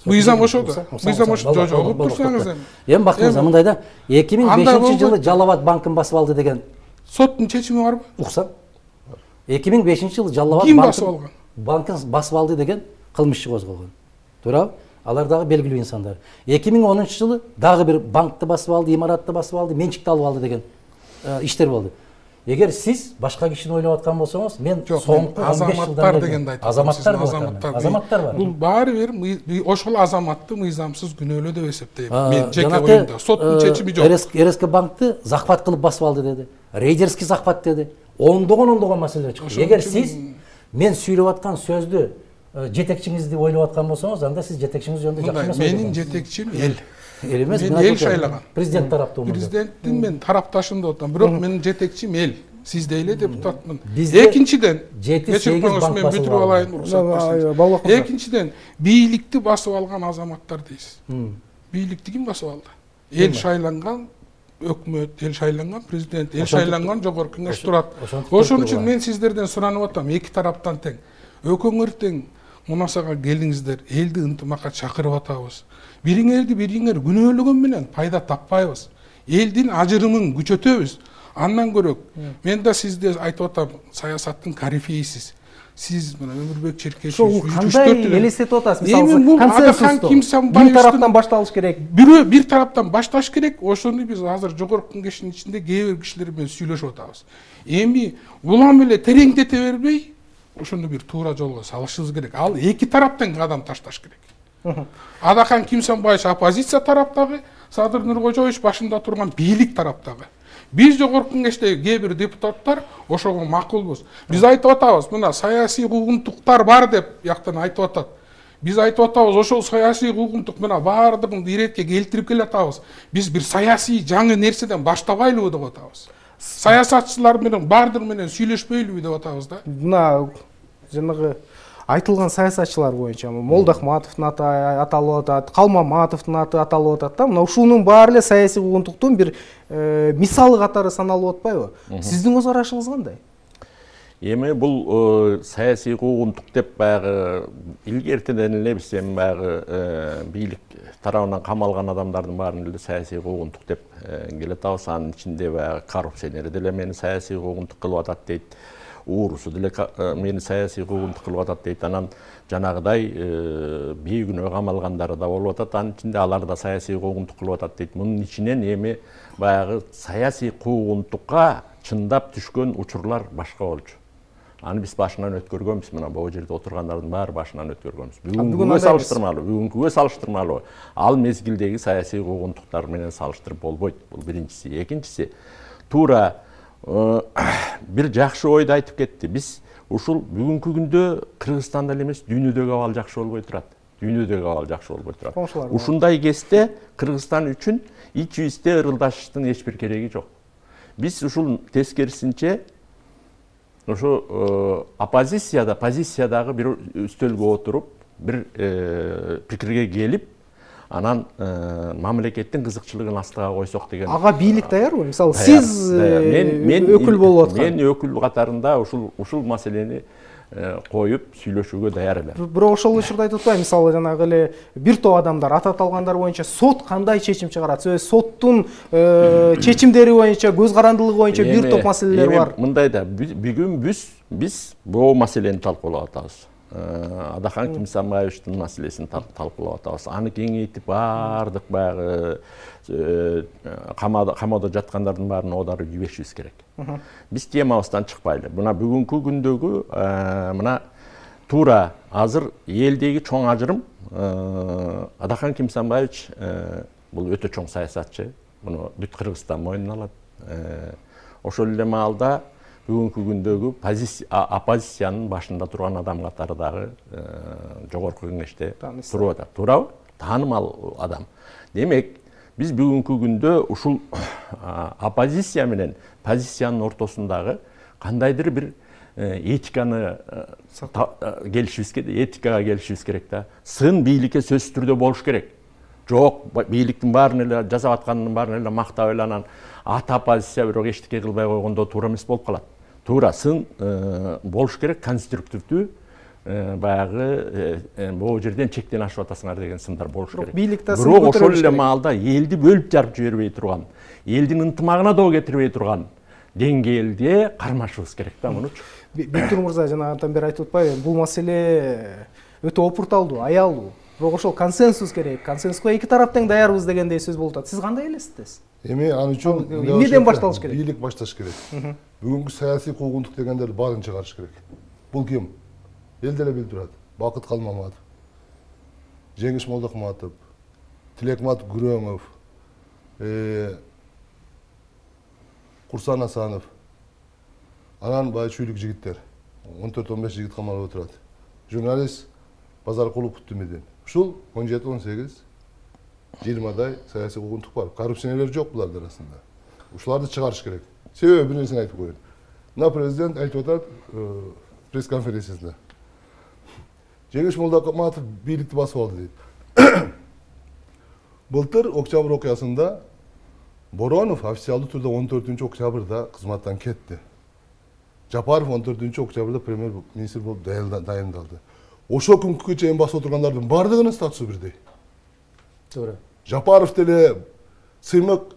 Мыйзам ошо да. Мыйзам ошо. Жок, угуп турсаңыз эми. Эми Бактыбек мырза мындай да, 2005-жылы Жалал Абад банкын басып алды деген соттун чечими барбы? Уксам. 2005-жылы Жалал Абад банкын басып алды деген кылмыш козголгон. Туурабы? Алар дагы белгилүү инсандар. 2010-жылы дагы бир банкты басып алды, имаратты басып алды, менчикти алып алды деген иштер болду. Эгер сиз башка кишини ойлоп аткан болсоңуз, мен соңку 15 жылдан дегенди айтам. Азаматтар бар. Бул баары бир ошол азаматты мыйзамсыз күнөөлүү деп эсептейм. Мен жеке оюмда соттун чечими жок. РСК банкты захват кылып басып алды деди. Рейдерский захват деди. Ондогон маселелер чыкты. Эгер сиз мен сүйлөп аткан сөздү жетекчиңизди ойлоп аткан болсоңуз, анда сиз жетекчиңиз жөнүндө жакшы эмес. Менин жетекчим эл. Эл эмес, мен эл шайлаган. Президент тараптуу. Президенттин мен тарапташым деп атам. Бирок менин жетекчим эл. Сиз дейле депутатмын. Экинчиден, 7-8 банк мен бүтүрүп алайын, уруксат берсеңиз. Экинчиден, бийликти басып алган азаматтар дейсиз. Бийликти ким басып алды? Эл шайланган өкмөт, эл шайланган президент, эл шайланган жогорку кеңеш турат. Ошон үчүн мен сиздерден суранып атам, эки тараптан тең. Өкөңөр тең мунасага келиңиздер, элди ынтымакка чакырып атабыз. Бириңер күнөөлөгөн менен пайда таппайбыз. Элдин ажырымын күчөтөбүз. Андан көрөк, мен да сизде айтып атам, саясаттын корифейсиз. сиз мына Өмүрбек Черкешев ошол кандай элестетип атасыз? Мисалы консенсусту бир тараптан башталыш керек. Бир тараптан башташ керек. Ошону биз азыр жогорку кеңештин ичинде кээ бир кишилер менен сүйлөшүп атабыз. Эми улам эле тереңдете бербей, ошону бир туура жолго салышыбыз керек. Ал эки тараптан кадам ташташ керек. Адахан Кимсанбаевич оппозиция тараптагы, Садыр Нуркожоевич башында турган бийлик тараптагы. Биз жогорку кеңеште кээ бир депутаттар ошого макулбуз. Биз айтып атабыз, мына саясий куугунтуктар бар деп жактан айтып атат. Биз айтып атабыз, ошол саясий куугунтук мына баардыгын иретке келтирип келатабыз. Биз бир саясий жаңы нерседен баштабайлыбы деп атабыз. Саясатчылар менен баардыгы менен сүйлөшпөйлүбү деп атабыз да. Мына жанагы айтылган саясатчылар боюнча Молдохматовдун аты аталып атат, Калмаматовдун аты аталып атат да. Мына ушунун баары эле саясий куугунтуктун бир мисалы катары саналып атпайбы? Сиздин көз карашыңыз кандай? Эми бул саясий куугунтук деп баягы илгертеден эле биз эми баягы бийлик тарабынан камалган адамдардын баарын эле саясий куугунтук деп келатабыз. Анын ичинде баягы коррупционер деле мени саясий куугунтук кылып атат дейт. Уурусу деле мени саясий куугунтук кылып атат дейт. Анан жанагыдай бейгүнөө камалгандары да болуп атат. Анын ичинде алар да саясий куугунтук кылып атат дейт. Мунун ичинен эми баягы саясий куугунтукка чындап түшкөн учурлар башка болчу. Аны биз башынан өткөргөнбүз, мына бул жерде отургандардын баары башынан өткөргөнбүз. Бүгүнгүгө салыштырмалуу. Ал мезгилдеги саясий куугунтуктар менен салыштырып болбойт. Бул биринчиси. Экинчиси, туура бир жакшы ойду айтып кетти. Биз ушул бүгүнкү күндө Кыргызстанда эле эмес, дүйнөдөгү абал жакшы болбой турат. Дүйнөдөгү абал жакшы болбой турат. Ушундай кезде Кыргызстан үчүн ич-бизде ырылдашыштын эч бир кереги жок. Биз ушул тескерисинче ошо позициядагы бир үстөлгө отуруп, бир пикирге келип, анан мамлекеттин кызыкчылыгын астыга койсок деген. Ага бийлик даярбы? Мисалы сиз өкүл болуп аткан. Мен өкүл катарында ушул маселени коюп сүйлөшүүгө даяр элем. Бирок ошол учурда айтып атпайбы, мисалы жанагы эле бир топ адамдар ат аталгандар боюнча сот кандай чечим чыгарат? Соттун чечимдери боюнча, көз карандылыгы боюнча бир топ маселелер бар. Мындай да, бүгүн биз бул маселени талкуулап атабыз. Адахан Кимсанбаевичтин маселесин талкуулап атабыз. Аны кеңейтип баардык баягы камоодо жаткандардын баарын оодарып жиберишибиз керек. Биз темабыздан чыкпайлы. Мына бүгүнкү күндөгү мына туура азыр элдеги чоң ажырым Адахан Кимсанбаевич бул өтө чоң саясатчы. Муну бүт Кыргызстан мойнуна алат. Ошол эле маалда бүгүнкү күндөгү оппозициянын башында турган адам катары дагы жогорку кеңеште туруп атат. Туурабы? Таанымал адам. Демек, биз бүгүнкү күндө ушул оппозиция менен позициянын ортосундагы кандайдыр бир этиканы этикага келишибиз керек да. Сын бийликке сөзсүз түрдө болуш керек. Жок, бийликтин баарын эле жасап атканын баарын эле мактап эле анан ата оппозиция бирок эчтеке кылбай койгондо туура эмес болуп калат. Туура сын болуш керек, конструктивдүү баягы бул жерден чектен ашып атасыңар деген сындар болуш керек. Бирок ошол эле маалда элди бөлүп жарып жибербей турган, элдин ынтымагына доо кетирбей турган деңгээлде кармашыбыз керек да мунучу. Биктур мырза жанагынтан бери айтып атпайбы, бул маселе өтө опурталдуу, аялдуу. Бирок ошол консенсус керек. Консенсуска эки тарап тең даярбыз дегендей сөз болуп атат. Сиз кандай элестетесиз? Эми аны үчүн эмнеден башталыш керек? Бийлик башташ керек. Бүгүнкү саясий куугунтук дегендерди баарын чыгарыш керек. Бул ким? Эл деле билип турат. Бакыт Калмаматов, Жеңиш Молдохматов, Тилекмат Күрөңов, Курсан Асанов. Анан бай чүйлүк жигиттер. 14-15 жигит камалып отурат. Журналист Базаркулов Куттумедин. Ушул 17-18 20дай саясий куугунтук бар. Коррупционерлер жок булардын арасында. Ушуларды чыгарыш керек. Себеби бир нерсени айтып коеюн. Мына президент айтып атат пресс-конференциясында. Жеңиш Молдохматов бийликти басып алды дейт. Былтыр октябрь окуясында Боронов официалдуу түрдө 14-октябрда кызматтан кетти. Жапаров 14-октябрда премьер-министр болуп дайындалды. Ошол күнгө чейин басып отургандардын бардыгынын статусу бирдей. Туура. Жапаров деле, Сыймык,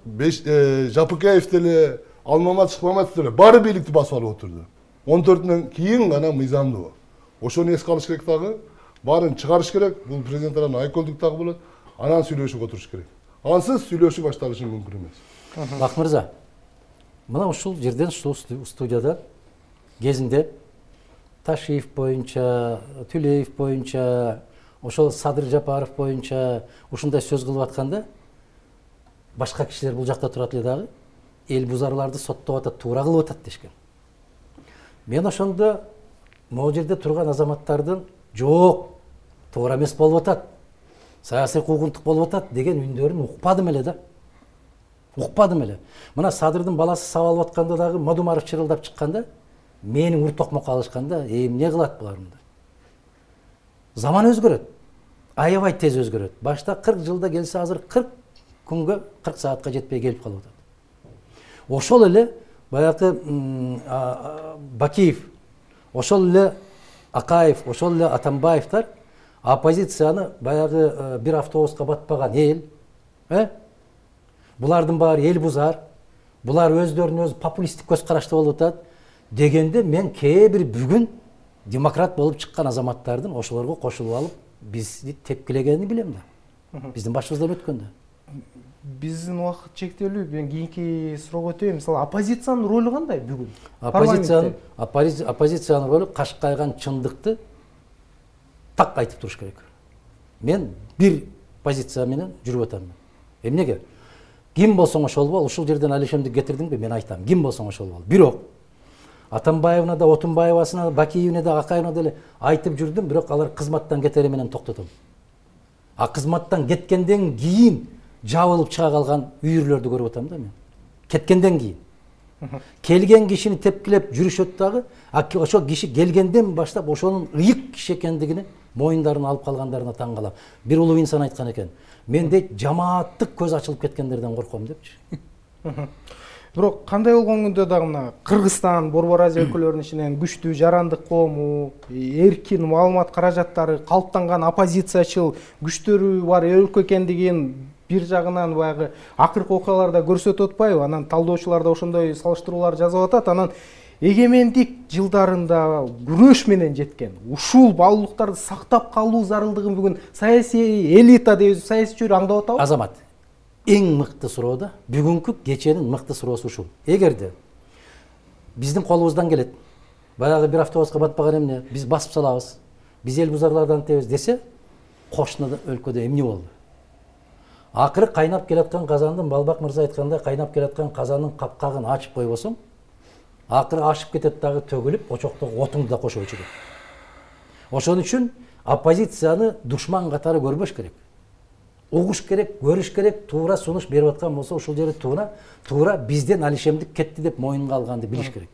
Жапыкеев деле, Алмамат Шыкмаматов деле баары бийликти басып алып отурду. 14-дөн кийин гана мыйзамдуу. ошону эске алыш керек дагы, баарын чыгарыш керек. Бул президент арасында айкөлдүк дагы болот. Анан сүйлөшүп отуруш керек. Ансыз сүйлөшүү башталышы мүмкүн эмес. Бак мырза, мына ушул жерден, ушул студияда кезинде Ташиев боюнча, Түлеев боюнча, ошол Садыр Жапаров боюнча ушундай сөз кылып атканда, башка кишилер бул жакта турат эле дагы, эл бузарларды соттоп атат, туура кылып атат дешкен. Мен ошондо могу жерде турган азаматтардын жок, туура эмес болуп атат, саясий куугунтук болуп атат деген үндөрүн укпадым эле да. Укпадым эле. Мына Садырдын баласы сабалып атканда дагы Мадумаров чырылдап чыкканда, менин ур токмокко алышканда, эмне кылат булар мындай? Заман өзгөрөт. Аябай тез өзгөрөт. Башта 40 жылда келсе, азыр 40 күнгө, 40 саатка жетпей келип калып атат. Ошол эле баягы Бакиев, ошол эле Акаев, ошол эле Атамбаевтар оппозицияны баягы бир автобуска батпаган эл, булардын баары эл бузар, булар өздөрүнүн өзү популисттик көз карашты болуп атат дегенде, мен кээ бир бүгүн демократ болуп чыккан азаматтардын ошолорго кошулуп алып бизди тепкилегенин билем да. Биздин башыбыздан өткөндө. Биздин убакыт чектелүү. Мен кийинки суроого өтөйм. Мисалы, оппозициянын ролу кандай бүгүн? Оппозициянын ролу кашкайган чындыкты так айтып туруш керек. Мен бир позиция менен жүрүп атам. Эмнеге? Ким болсоң ошол бол, ушул жерден Алишемди кетирдиңби, мен айтам. Ким болсоң ошол бол. Бирок Атамбаевна да, Отунбаевасына, Бакиевне да, Акаевна деле айтып жүрдүм, бирок алар кызматтан кетери менен токтотом. А кызматтан кеткенден кийин жабылып чыга калган үйүрлөрдү көрүп атам да мен. Кеткенден кийин. Келген кишини тепкилеп жүрүшөт дагы, ошол киши келгенден баштап ошонун ыйык киши экендигини моюндарын алып калгандарына таң калам. Бир улуу инсан айткан экен. Мен дейт, жамааттык көз ачылып кеткендерден корком депчи. Бирок кандай болгон күндө дагы мына Кыргызстан, Борбор Азия өлкөлөрүнүн ичинен күчтүү жарандык коому, эркин маалымат каражаттары, калыптанган оппозициячыл күчтөрү бар өлкө экендигин бир жагынан баягы акыркы окуяларда көрсөтүп атпайбы? Анан талдоочулар да ошондой салыштыруулар жазып атат. Анан эгемендик жылдарында күрөш менен жеткен ушул баалуулуктарды сактап калуу зарылдыгын бүгүн саясий элита дейбиз, саясий чөйрө аңдап атабы? Азамат, эң мыкты суроо да, бүгүнкү кеченин мыкты суроосу ушул. Эгерде биздин колубуздан келет, баягы бир автобуска батпаган эмне, биз басып салабыз, биз эл бузарлардан тебиз десе, кошуна өлкөдө эмне болду? Акыры кайнап келаткан казандын, Балбак мырза айткандай, кайнап келаткан казандын капкагын ачып койбосоң, акыры ашып кетет дагы, төгүлүп, очоктогу отуңду да кошо өчүрөт. Ошон үчүн оппозицияны душман катары көрбөш керек. Угуш керек, көрүш керек, туура сунуш берип аткан болсо, ушул жери туура бизден Алишемдик кетти деп моюнга алганды билиш керек.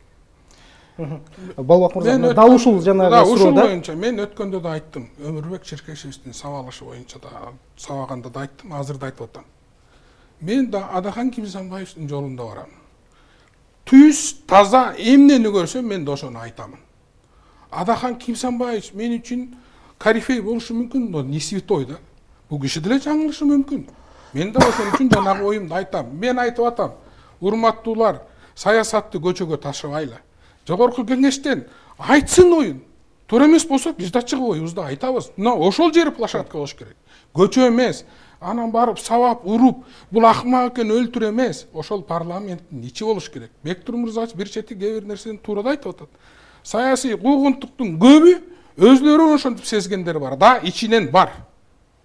Балбак мырза, дал ушул жанагы ушул боюнча мен өткөндө да айттым. Өмүрбек Черкешевдин сабалышы боюнча да сабаганда да айттым, азыр да айтып атам. Мен да Адахан Кимсанбаевдин жолунда барам. Түз, таза эмнени көрсөм мен да ошону айтамын. Адахан Кимсанбаев мен үчүн корифей болушу мүмкүн, но не святой да. Бул киши деле жаңылышы мүмкүн. Мен да ошон үчүн жанагы оюмду айтам. Мен айтып атам, урматтуулар, саясатты көчөгө ташыбайлы. Жогорку кеңештен айтсын оюн. Туура эмес болсо биз да чыгып оюбузду айтабыз. Мына ошол жери площадка болуш керек. Көчө эмес, анан барып сабап, уруп, бул акмак экен өлтүр эмес. Ошол парламенттин ичи болуш керек. Бектур мырза бир чети кээ бир нерсени туура да айтып атат. Саясий куугунтуктун көбү өзлөрү ошентип сезгендер бар да, ичинен бар.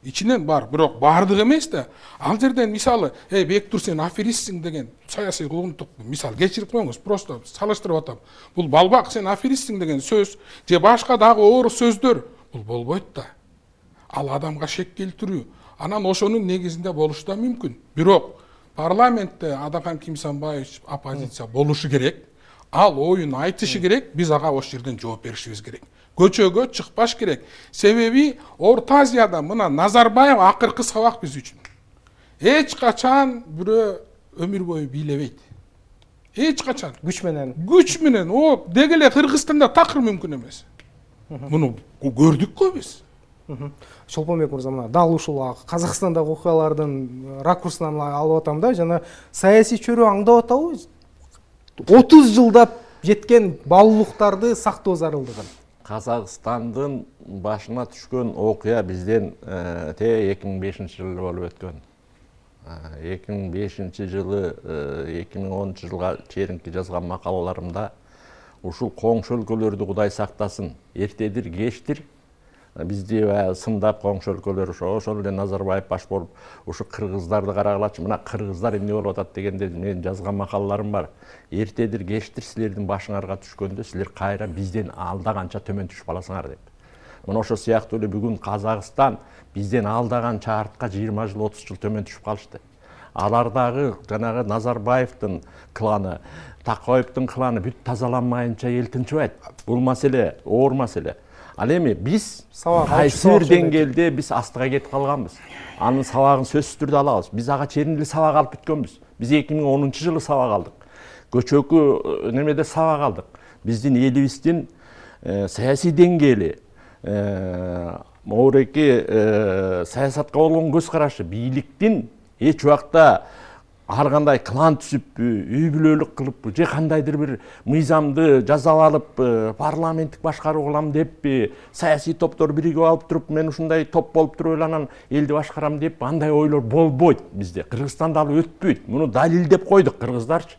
Ичинен бар, бирок бардыгы эмес да. Ал жерден мисалы, Бектур сен аферистсиң деген саясий куугунтук, мисал кечирип коюңуз, просто салыштырып атам. Бул Балбак сен аферистсиң деген сөз, же башка дагы оор сөздөр, бул болбойт да. Ал адамга шек келтирүү, анан ошонун негизинде болушу да мүмкүн. Бирок парламентте Адахан Кимсанбаев оппозиция болушу керек. Ал оюн айтышы керек, биз ага ошол жерден жооп беришибиз керек. Көчөгө чыкпаш керек. Себеби Орто Азияда мына Назарбаев акыркы сабак биз үчүн. Эч качан бирөө өмүр бою бийлебейт. Эч качан. Күч менен. О, дегеле Кыргызстанда такыр мүмкүн эмес. Муну көрдүк го биз. Шолпонбек мырза, мына дал ушул Казакстандагы окуялардын ракурсунан алып атам да, жана саясий чөйрө аңдап атабы? 30 жылдап жеткен баалуулуктарды сактоо зарылдыгын Казакстандын башына түшкөн окуя бизден 2005-жылы болуп өткөн. 2005-жылы 2010 жылга чейинки жазган макалаларымда ушул коңшу өлкөлөрдү Кудай сактасын, эртедир кечтир бизди сындап коңшу өлкөлөр ошол эле Назарбаев баш болуп ушу кыргыздарды карагалачы, мына кыргыздар эмне болуп атат дегенде мен жазган макалаларым бар. Эртедир кечтир силердин башыңарга түшкөндө силер кайра бизден алда канча төмөн түшүп каласыңар деп. Мына ошол сыяктуу эле бүгүн Казакстан бизден алдаган чартка 20 жыл 30 жыл төмөн түшүп калышты. Алардагы жанагы Назарбаевдин кланы, Такаевдин кланы бүт тазаланмайынча эл тынчыбайт. Бул маселе оор маселе. Ал эми биз кайсы бир деңгээлде биз астыга кетип калганбыз. Анын сабагын сөзсүз түрдө алабыз. Биз ага чейин эле сабак алып бүткөнбүз. Биз 2010-жылы сабак алдык. Көчөкү немеде сабак алдык. Биздин элибиздин саясий деңгээли, моореки саясатка болгон көз карашы, бийликтин эч убакта ар кандай клан түзүппү, үй бүлөлүк кылыппы, же кандайдыр бир мыйзамды жасап алып парламенттик башкаруу кылам деппи, саясий топтор биригип алып туруп мен ушундай топ болуп туруп эле анан элди башкарам деп андай ойлор болбойт бизде. Кыргызстанда ал өтпөйт. Муну далилдеп койдук кыргыздарчы.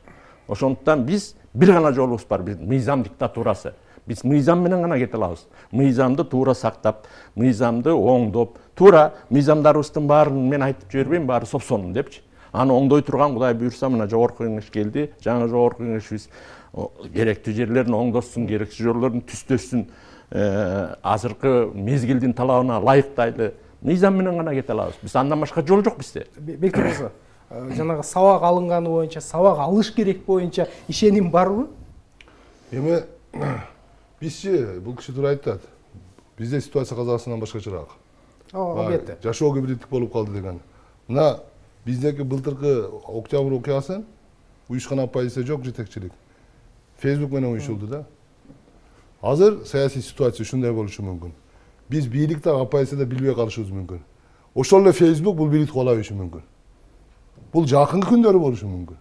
Ошондуктан биз бир гана жолубуз бар, биз мыйзам диктатурасы. Биз мыйзам менен гана кете алабыз. Мыйзамды туура сактап, мыйзамды оңдоп, туура мыйзамдарыбыздын баарын мен айтып жибербейм, баары сопсонун депчи. Аны оңдой турган Кудай буйрса мына жогорку кеңеш келди. Жаңы жогорку кеңешибиз керектүү жерлерин оңдосун, керексиз жерлерин түздөсүн, азыркы мезгилдин талабына ылайыктайлы мыйзам менен гана кете алабыз. Биз андан башка жол жок бизде. Бектур мырза, жанагы сабак алынганы боюнча, сабак алыш керек боюнча ишеним барбы? Эми бизчи бул киши туура айтат. Бизде ситуация Казакстандан башкачараак. Албетте. Жашоо гибриддик болуп калды деген. Мына биздеки былтыркы октябрь окуясы уюшкан оппозиция жок, жетекчилик. Facebook менен уюшулду да. Азыр саясий ситуация ушундай болушу мүмкүн. Биз бийликте оппозицияда билбей калышыбыз мүмкүн. Ошол эле Facebook бул бийликти куала бериши мүмкүн. Бул жакынкы күндөрү болушу мүмкүн.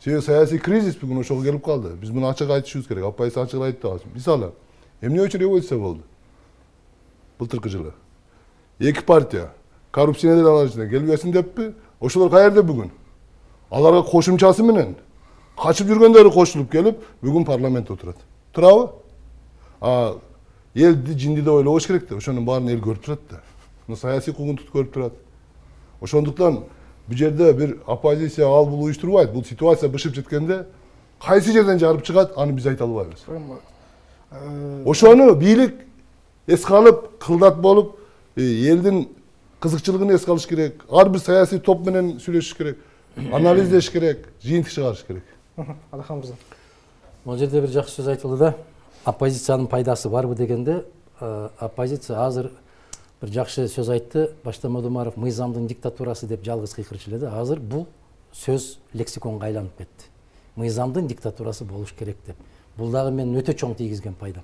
Себеби саясий кризис бүгүн ошого келип калды. Биз муну ачык айтышыбыз керек. Оппозиция ачык айтты. Мисалы, эмне үчүн революция болду? Былтыркы жылы. Эки партия коррупционерлер алар ичинде келбесин деппи? Ошолор каерде бүгүн? Аларга кошумчасы менен качып жүргөндөрү кошулуп келип, бүгүн парламентте отурат. Турабы? Элди жинди деп ойлобош керек да. Ошонун баарын эл көрүп турат да. Мына саясий куугунтукту көрүп турат. Ошондуктан бул жерде бир оппозиция ал бул уюштурбайт. Бул ситуация бышып жеткенде кайсы жерден жарып чыгат, аны биз айта албайбыз. Ошону бийлик эске алып, кылдат болуп, элдин кызыкчылыгын эске алыш керек. Ар бир саясий топ менен сүйлөшүш керек, анализдеш керек, жыйынтык чыгарыш керек. Адахан мырза. Бул жерде бир жакшы сөз айтылды да. Оппозициянын пайдасы барбы дегенде, оппозиция азыр бир жакшы сөз айтты. Башта Модумаров мыйзамдын диктатурасы деп жалгыз кыйкырчу эле. Азыр бул сөз лексиконго айланып кетти. Мыйзамдын диктатурасы болуш керек деп. Бул дагы менин өтө чоң тийгизген пайдам.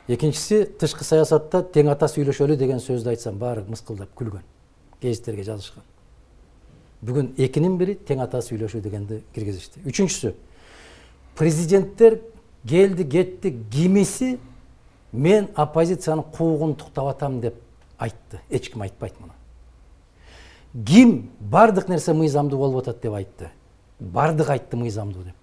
Экинчиси, тышкы саясатта тең ата сүйлөшөлү деген сөздү айтсам баары мыскылдап күлгөн. Гезиттерге жазышкан. Бүгүн экинин бири тең ата сүйлөшүү дегенди киргизишти. Үчүнчүсү, президенттер келди кетти, кимиси мен оппозициянын куугун туктап атам деп айтты. Эч ким айтпайт муну. Ким бардык нерсе мыйзамдуу болуп атат деп айтты. Бардык айтты мыйзамдуу деп.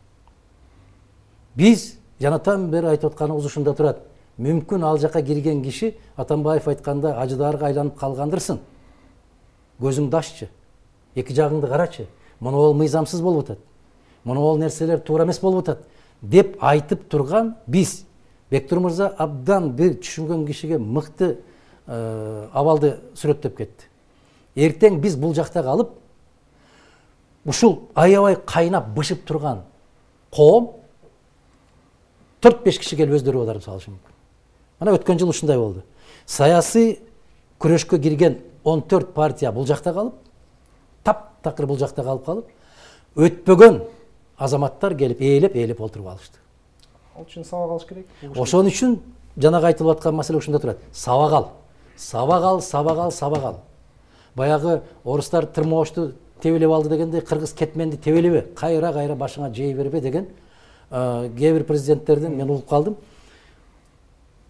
Биз жанатан бери айтып атканыбыз ушунда турат. Мүмкүн ал жака кирген киши Атамбаев айтканда ажыдарга айланып калгандырсың. Көзүңдү аччы. Эки жагыңды карачы. Муну ол мыйзамсыз болуп атат. Муну ол нерселер туура эмес болуп атат деп айтып турган биз. Бектур мырза абдан бир түшүнгөн кишиге мыкты абалды сүрөттөп кетти. Эртең биз бул жакта калып, ушул аябай кайнап бышып турган коом 4-5 киши келип өздөрү аударып салышы мүмкүн. Мына өткөн жыл ушундай болду. Саясий күрөшкө кирген 14 партия бул жакта калып, таптакыр бул жакта калып, өтпөгөн азаматтар келип ээлеп олтуруп алышты. Ал үчүн сабак алыш керек. Ошон үчүн жанагы айтылып аткан маселе ушунда турат. Сабак ал. Баягы орустар тырмоошту тебелеп алды дегенде кыргыз кетменди тебелебе, кайра башыңа жей бербе деген кээ бир президенттердин мен угуп калдым.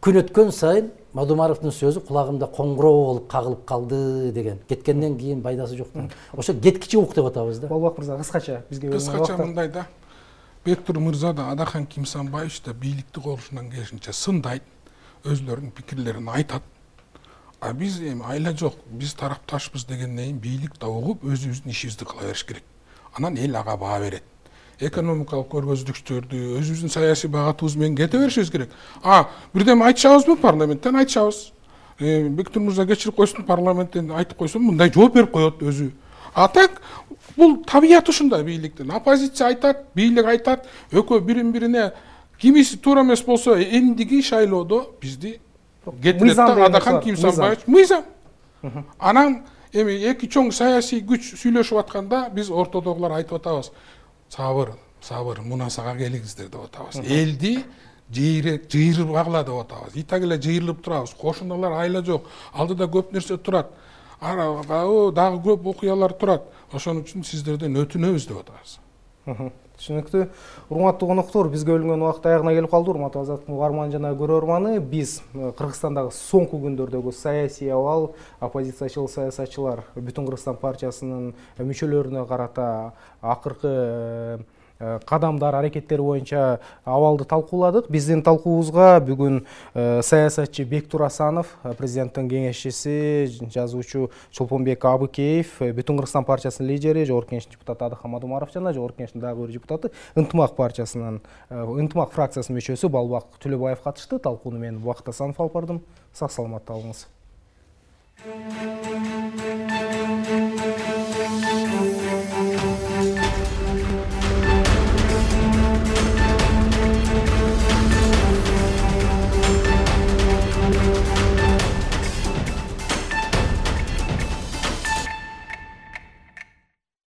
күн өткөн сайын Мадумаровдун сөзү кулагымда коңгуроо болуп кагылып калды деген. Кеткенден кийин пайдасы жок деген. Ошо кеткичи ук деп атабыз да. Болбок мырза кыскача бизге кыскача мындай да. Бектур мырза да Адахан Кимсанбаевич да бийликти колушунан келишинче сындайт, өзлөрүнүн пикирлерин айтат. А биз эми айла жок, биз тарапташпыз дегенден кийин бийлик да угуп өзүбүздүн ишибизди кыла бериш керек. Анан эл ага баа берет. Экономикалык көргөзүлүктөрдү өзүбүздүн саясий багатыбыз менен кете беришибиз керек. Бирдеме айтышабызбы парламенттен? Айтышабыз. Бектур мырза кечирип койсун, парламенттен айтып койсун, мындай жооп берип коет өзү. А так бул табият ушундай бийликтин. Оппозиция айтат, бийлик айтат, экөө бирин-бирине кимиси туура эмес болсо эндиги шайлоодо бизди кетирет да Адахан Кимсанбаевич мыйзам. Анан эми эки чоң саясий күч сүйлөшүп атканда биз ортодогулар айтып атабыз. Сабыр, мунасага келиңиздер деп атабыз. Элди жыйырбагыла деп атабыз. Итак эле жыйырылып турабыз. Кошуналар айла жок. Алдыда көп нерсе турат. Дагы көп окуялар турат. Ошон үчүн сиздерден өтүнөбүз деп атабыз. Түшүнүктүү. Урматтуу коноктор, бизге бөлүнгөн убакыт аягына келип калды. Урматтуу азаттык угарман жана көрөрманы, биз Кыргызстандагы соңку күндөрдөгү саясий абал, оппозициячыл саясатчылар Бүтүн Кыргызстан партиясынын мүчөлөрүнө карата акыркы кадамдар, аракеттери боюнча абалды талкууладык. Биздин талкуубузга бүгүн саясатчы Бектур Асанов, президенттин кеңешчиси, жазуучу Чолпонбек Абыкеев, Бүтүн Кыргызстан партиясынын лидери, жогорку кеңештин депутаты Адахан Мадумаров жана жогорку кеңештин дагы бир депутаты, Ынтымак партиясынын, Ынтымак фракциясынын мүчөсү Балбак Төлөбаев катышты. Талкууну мен Убакыт Асанов алып бардым. Сак саламатта болуңуз.